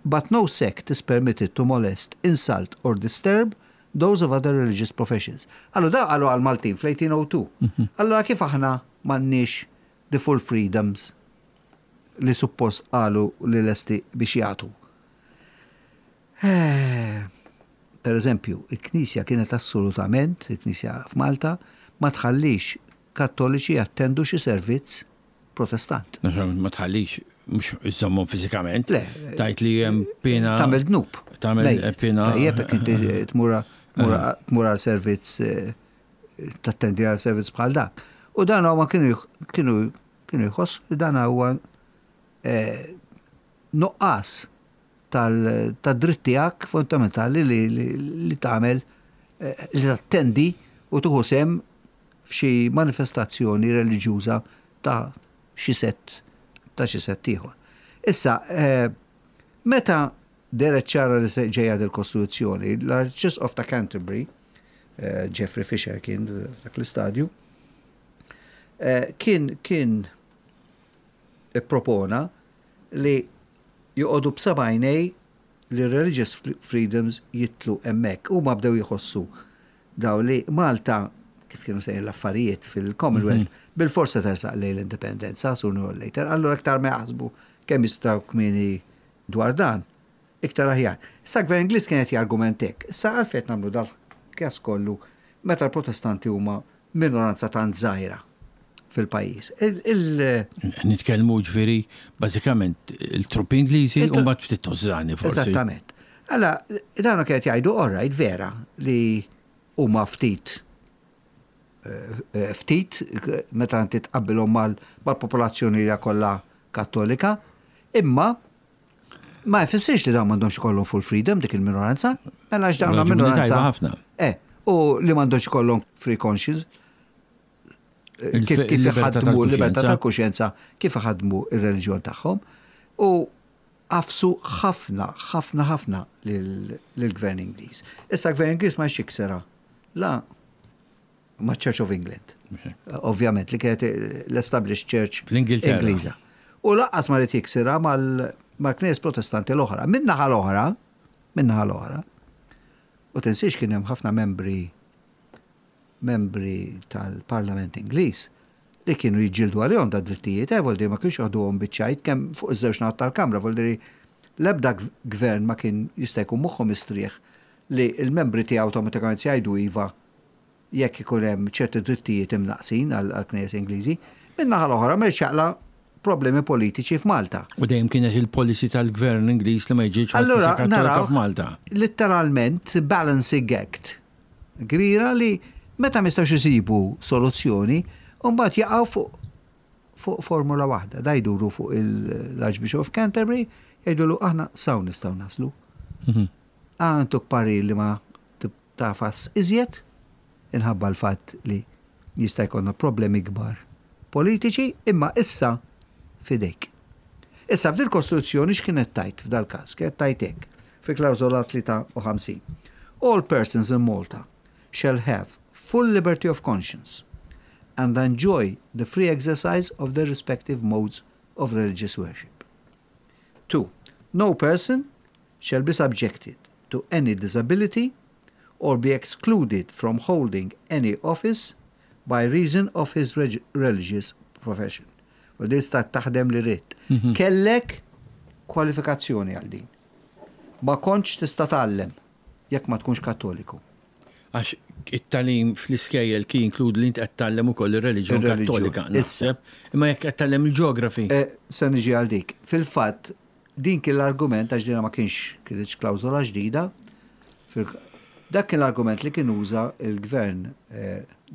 but no sect is permitted to molest, insult or disturb those of other religious professions. Qalu da qalu għall-Maltin fl-1802. Allura kif aħna m'għandniex the full freedoms li suppost qalu li lesti biex jagħtu? Per eżempju, il-Knisja kienet assolutament, il-Knisja f'Malta, ma tħallix Kattoliċi jattendu xi servizz Protestant. Naturalment ma tħallix, mhux iżżommhom fiżikament. Le. Tajt li hemm pena. Tagħmel dnub. Tagħmel pena. Tajjeb jekk inti tmur tmur għal servizz eh, tattendi għal servizz bħal dak. U dan huma kienu kienu kienu jħossu li dan huwa eh, nuqqas tad-dritt tiegħek fundamentali li tagħmel eh, li tattendi u tieħu sehem f'xi manifestazzjoni reliġjuża ta' xi sett ta' xi sett ieħor. Issa, eh, meta dehret ċara li se ġejja dil-Kostituzzjoni, l-Arċisqof ta' Canterbury, eh, Geoffrey Fisher kien dak l-istadju, eh, kien kien ippropona li joqogħdu b'seba' għajnej li religious freedoms jidħlu hemmhekk. Huma bdew jħossu daw li Malta, kif kienu sejrin l-affarijiet fil-Commonwealth, bilfors se tersaq lejn l-indipendenza sooner or later. Allura iktar ma jaħsbu kemm jistgħu kmieni dwar dan, iktar aħjar. Issa l-Gvern Ingliż kien qed jargument hekk. Issa għalfejn qed nagħmlu dal-każ kollu meta l-Protestanti huma minoranza tant żgħira. fil-pajjiż. Il Nitkellmu ġifieri bażikament il-truppi Ingliżi u mbagħad ftit Tużżani forsi. Eżattament. Alla, dawn kienet jgħidu all right vera li huma ftit eh, ftit meta inti tqabbilhom mal-popolazzjoni li kollha Kattolika, imma ma jfissirx li dawn m'għandhomx ikollhom full freedom dik il-minoranza, mela għax dawn minoranza. ħafna. Eh, u li m'għandhomx ikollhom free conscience eh, kif kif iħaddmu l-libertà tal-kuxjenza, kif iħaddmu ir-reliġjon tagħhom. U għafsu ħafna, ħafna, ħafna lill-gvern Ingliż. Issa l-gvern Ingliż ma jiksera la ma' Church of England. Ovvjament li kienet l-established church Ingliża. U lanqas ma ried jiksirha mal-knejjes protestanti l-oħra. Min-naħa l-oħra, min-naħa l-oħra, u tinsiex kien hemm ħafna membri membri tal-Parlament Ingliż li kienu jiġġieldu għalihom da drittijiet, eh, vuol dire ma kienx joħduhom biċ-ċajt kemm fuq iż-żewġ naħat tal-Kamra, vuol dire l-ebda gvern ma kien jista' jkun moħħu mistrieħ li l-membri tiegħu awtomatikament se jgħidu iva jekk ikun hemm ċerti drittijiet imnaqqsin għall-Knejjes Ingliżi. Min-naħa l-oħra ma jridx jaqla' problemi politiċi f'Malta. U dejjem kienet il-policy tal-gvern Ingliż li ma jġielx mal-Knisja Kattolika f'Malta. Litteralment balancing act kbira li meta ma jistgħux isibu soluzzjoni, mbagħad jaqgħu fuq fuq formula waħda. Da jduru fuq l-Archbishop of Canterbury, jgħidulu aħna s'hawn nistgħu naslu. Għanduk parir li ma tagħfas iżjed, inħabba l-fatt li jista' jkollna problemi kbar politiċi, imma issa f'idejk. Issa f'dil kostituzzjoni x'kienet tgħid f'dal-każ? Kienet tgħid hekk, fi klawżola 53, All persons in Malta shall have full liberty of conscience and enjoy the free exercise of their respective modes of religious worship. 2. No person shall be subjected to any disability or be excluded from holding any office by reason of his religious profession. U din sta taħdem li rrid. Kellek kwalifikazzjoni għal din. Ma kontx tista' tgħallem jekk ma tkunx Kattoliku. Għax it-tagħlim fl-iskejjel kien jinkludi li inti qed tgħallem ukoll ir-reliġjon Kattolika, naħseb. Imma jekk qed tgħallem il-ġeografi. Se niġi għal dik. Fil-fatt, Din kien l-argument, għax dina ma kienx kinitx klawżola ġdida, dak kien l-argument li kien uża l-gvern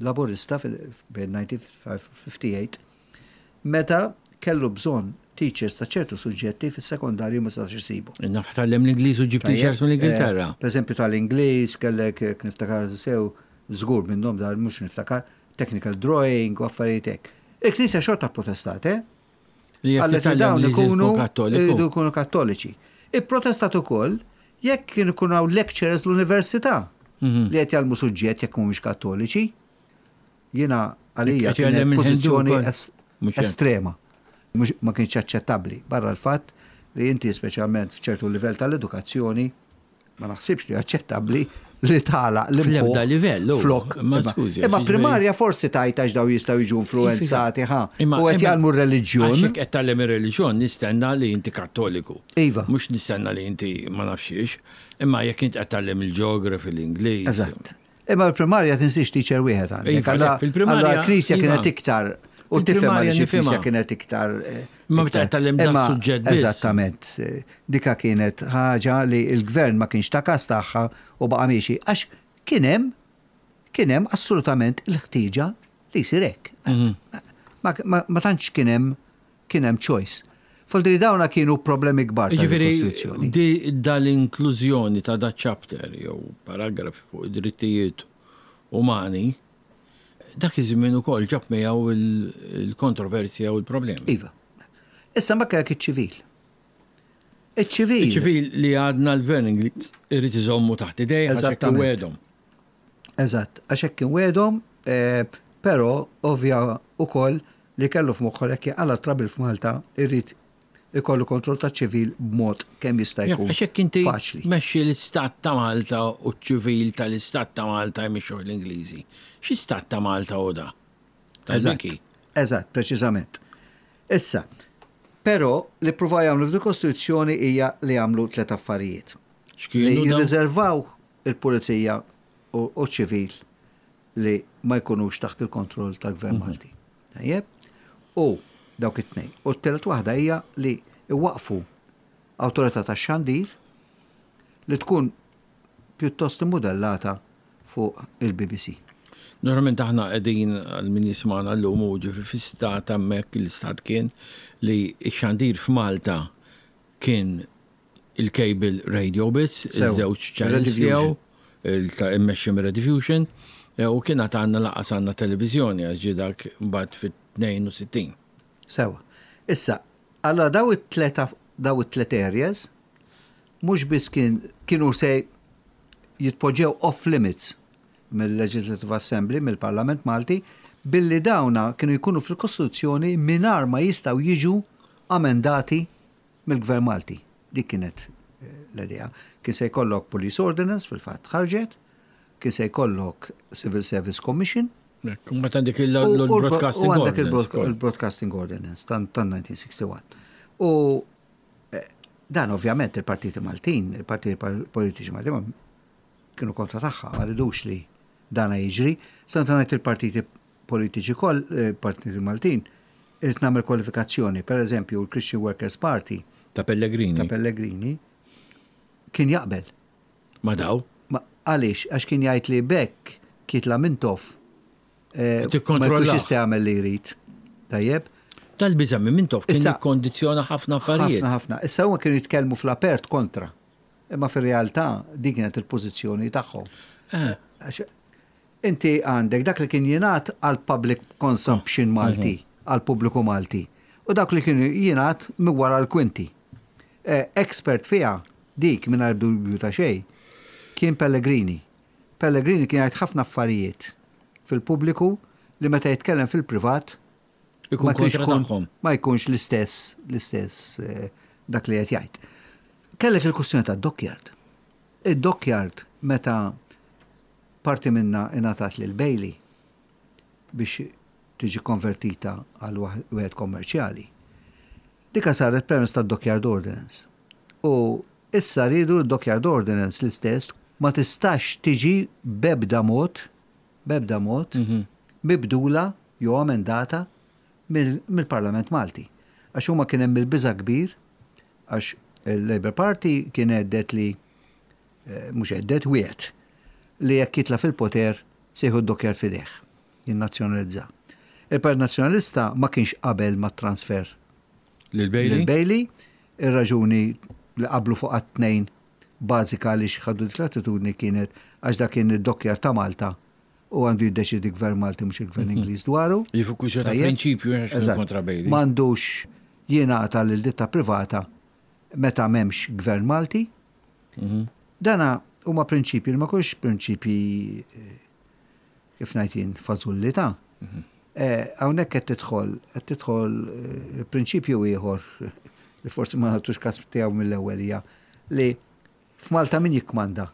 Laburista bejn 1958 meta kellu bżonn teachers ta' ċertu suġġetti fis-sekondarju ma setax isibu. Naf tgħallem l-Ingliż u ġib teachers mill-Ingilterra. Per eżempju tal-Ingliż kellek jekk niftakar sew żgur minnhom dar mhux niftakar technical drawing u affarijiet hekk. Il-Knisja xorta pprotestat, eh? Li jekk Qalet li dawn titgħallem li ikunu tkun kattoliku. jridu jkunu kattoliċi. Ipprotestat ukoll jekk kien ikun hawn lecturers l-università Mhm. li qed jgħallmu suġġett jekk mhumiex kattoliċi. Jiena għalija Qed kienet jgħallem il-Hindu pożizzjoni wkoll. es- Mhux hekk. estrema. Mhux ma kienx aċċettabbli. Barra l-fatt li inti speċjalment f'ċertu livell tal-edukazzjoni Ma naħsibx li aċċettabbli li tagħlaq l-imħuħ. Fl-ebda livell, Flok. Ma skużi. Imma primarja forsi tajt għax daw jistgħu jiġu influenzati ħa. U qed jgħallmu r-reliġjon. Għax qed tgħallem ir-reliġjon nistenna li inti Kattoliku. Iva. Mhux nistenna li inti ma nafx Imma jekk inti qed tgħallem il-ġeografi, l-Ingliż. Eżatt. Imma l-primarja tinsiex teacher wieħed għandek. Iva, Allura fil-primarja, allura l-Knisja iva. kienet iktar u tifhem Fil-primarja għaliex il-Knisja nifhimha. kienet iktar. eh, Imma meta iktar. qed tgħallem dan Imma, suġġett biss. Eżattament. eh, Dika kienet ħaġa li l-gvern ma kienx ta' kas tagħha u baqa' miexi għax kien hemm kien hemm assolutament il-ħtieġa li jsir hekk. Mhm. Ma, ma, ma tantx kien hemm kien hemm choice. Foldri dawna kienu problemi kbar Jiġifieri tal-Kostituzzjoni. di dal-inklużjoni ta' da chapter jew paragrafi fuq id-drittijiet umani, dak iż-żmien ukoll ġab miegħu il-kontroversja u l-problemi. Iva. Issa ma kellek iċ-ċivil. Iċ-ċivil. Iċ-ċivil li għadna l-gvern Ingliż irid iżommu taħt idejh għax hekk Eżattament. iwegħedhom. Eżatt, għax hekk kien wegħedhom, eh, però ovvja ukoll li kellu f'moħħu jekk jaqala' trouble f'Malta irrid ikollu kontroll taċ-ċivil b'mod kemm jista' jkun Għax hekk inti faċli. tmexxi l-istat ta' Malta u ċ-ċivil tal-istat ta' Malta jmexxuh l-Ingliżi. Xi stat ta' Malta hu da? Tal-Biki. Eżatt, preċiżament. Issa, però li ppruvaw jagħmlu f'dil-Kostituzzjoni hija li jagħmlu tliet affarijiet. Li X'kienu dawn? jirriservaw il-pulizija u ċ-ċivil li ma jkunux taħt il-kontroll tal-Gvern Malti. Tajjeb? U dawk it-tnejn. U t-tielet waħda hija li iwaqqfu awtorità tax-xandir li tkun pjuttost immudellata fuq il-BBC. Normalment aħna qegħdin għal min jismagħna llum u ġifieri fi stat hemmhekk l-istat kien li x-xandir f'Malta kien il-cable radio biss, iż-żewġ channels tiegħu, immexxi mir-Rediffusion, u kien għad għandna lanqas għandna televiżjoni għax ġie dak mbagħad fit-62. Sewwa. Issa, allura daw it-tliet daw it-tliet areas mhux biss kien kienu se jitpoġġew off limits mill-Legislative Assembly, mill-Parlament Malti, billi dawna kienu jkunu fil-Kostituzzjoni mingħajr ma jistgħu jiġu amendati mill-Gvern Malti. Dik kienet l-idea. Kien se jkollok Police Ordinance, fil-fatt ħarġet, kien se jkollok Civil Service Commission. Mbagħad għandek il-Broadcasting Ordinance. Il-Broadcasting Ordinance tan-1961. U dan ovvjament il-partiti Maltin, il-partiti politiċi Maltin kienu kontra tagħha, ma ridux li dana jiġri. Sa meta ngħid il-partiti politiċi koll, partiti Maltin, irrid nagħmel kwalifikazzjoni. Per eżempju, il-Christian Workers Party. Ta' Pellegrini. Ta' Pellegrini kien jaqbel. Ma daw? Ma għaliex, għax kien jgħid li bekk kitla Mintoff eh, ma jkunx jista' jagħmel li jrid. Tajjeb? Tal-biża' minn Mintoff kien jikkondizzjona ħafna affarijiet. Ħafna ħafna. Issa huma kienu jitkellmu fl-apert kontra. Imma fir-realtà din kienet il-pożizzjoni tagħhom. Eh. Inti għandek dak li kien jingħad għal public consumption Malti, għal pubbliku Malti, u dak li kien jingħad minn wara l-kwinti. Expert fiha dik mingħajr dubju ta' xejn kien Pellegrini. Pellegrini kien jgħid ħafna affarijiet fil-pubbliku li meta jitkellem fil-privat ma kienx ikun ma jkunx l-istess l-istess dak li qed jgħid. Kellek il-kwistjoni tad-dockyard. Id-dockyard meta Parti minnha ingħatat lil Bailey biex tiġi konvertita għal wieħed kommerċjali. Dika saret permezz tad-Dockyard Ordinance. U issa riedu li d-Dockyard Ordinance l-istess ma tistax tiġi b'ebda mod, b'ebda mod, mibdula jew amendata mill-Parlament Malti. Għax huma kien hemm il-biża' kbir għax il-Labour Party kien għeddet li mhux għedded, wiegħed li jekk jitla' fil-poter se jieħu d-dockyard f'idejh, jinnazzjonalizza. Il-Partit Nazzjonalista ma kienx qabel mat-transfer Lil Bailey. Lil Bailey, ir-raġuni li qablu fuqha t-tnejn bażika għaliex ħadu dik l-attitudni kienet għax dak kien id-dockyard ta' Malta u għandu jiddeċiedi gvern Malti mhux il-gvern Ingliż dwaru. Jiġifieri kwistjoni ta' prinċipju għax kienu kontra Bailey. M'għandux jingħata lil ditta privata meta m'hemmx gvern Malti. Dana huma prinċipji li ma kunx prinċipji eh, kif ngħid jien fażulli ta'. Mhm. Eh, hawnhekk qed tidħol qed tidħol eh, prinċipju ieħor li forsi ma nagħtux każ tiegħu mill-ewwel hija li f'Malta min jikkmanda?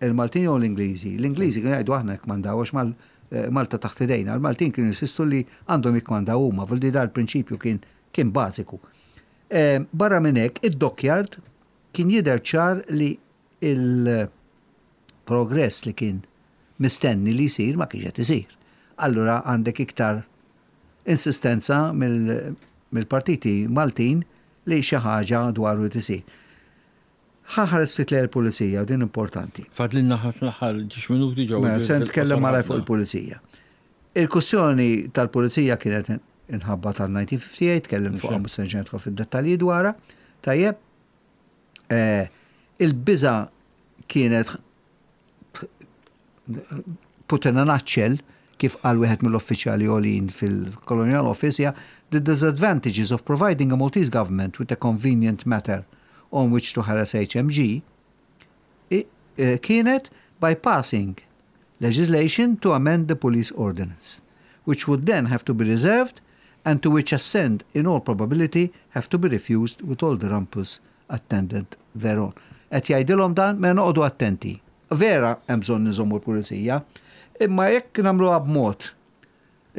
Il-Maltin jew l-Ingliżi? L-Ingliżi kienu jgħidu aħna nikkmandaw għax Malta taħt idejna. Il-Maltin kienu jinsistu li għandhom jikkmandaw huma, vuol dire dal-prinċipju kien kien bażiku. Barra minn hekk, id-dockyard kien jidher ċar li l-progress li kien mistenni li jsir ma kienx qed isir. Allura għandek iktar insistenza mill-partiti Maltin li xi ħaġa dwaru jrid isir. Ħa nħares ftit lejn il-pulizija u din importanti. Fadlilna l-aħħar ġiex minuti ġew. Mela, se nitkellem malajr fuq il-pulizija. Il-kwistjoni tal-pulizija kienet inħabba tal-1958, tkellimt fuqha mhux se nerġa' nidħol fid-dettalji dwarha. Tajjeb, eh, il-biża' kienet put in a nutshell, kif qal wieħed mill-uffiċjali għoljin fil-Colonial Office hija the disadvantages of providing a Maltese government with a convenient matter on which to harass HMG eh, kienet by passing legislation to amend the police ordinance, which would then have to be reserved and to which assent in all probability have to be refused with all the rumpus attendant thereon. Qed jgħidilhom dan, mela noqogħdu attenti. Vera hemm bżonn inżommu l-pulizija, imma jekk nagħmluha b'mod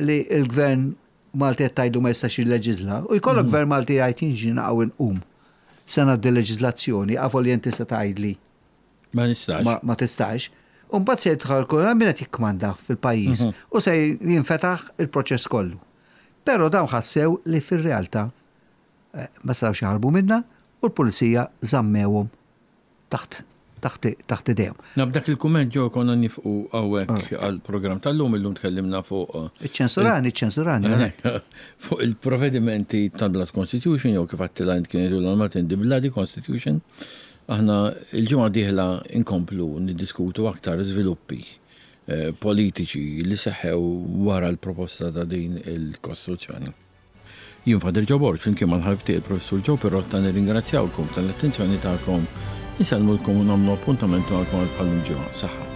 li l-gvern Malti qed tgħidlu ma jistax jilleġiżla, u jkollok gvern Malti jgħid jien ġie naqgħu inqum se ngħaddi leġiżlazzjoni avolja inti se tgħidli Ma nistax. Ma tistax. U mbagħad se jidħol kull min qed jikkmanda fil-pajjiż u se jinfetaħ il-proċess kollu. Però dawn ħassew li fir-realtà ma setgħux jaħarbu minnha u l-pulizija żammewhom taħt taħt taħt idejhom. Na b'dak il-kumment Joe konna nifqu hawnhekk għall-programm tal-lum, illum tkellimna fuq Iċ-ċensurani, iċ-ċensurani. Fuq il-provvedimenti tal-Blood Constitution jew kif għedtilha int kien jgħidulha l-Maltin the Bloody Constitution. Aħna l-ġimgħa d-dieħla nkomplu niddiskutu aktar żviluppi politiċi li seħħew wara l-proposta ta' din il-Kostituzzjoni. Jien Father Joe Borg flimkien mal-ħabib tiegħi il-Professur Joe Pirotta nirringrazzjawkom tal-attenzjoni tagħkom, insellmulkom u nagħmlu appuntament magħkom għal bħal-lum ġimgħa. Saħħa.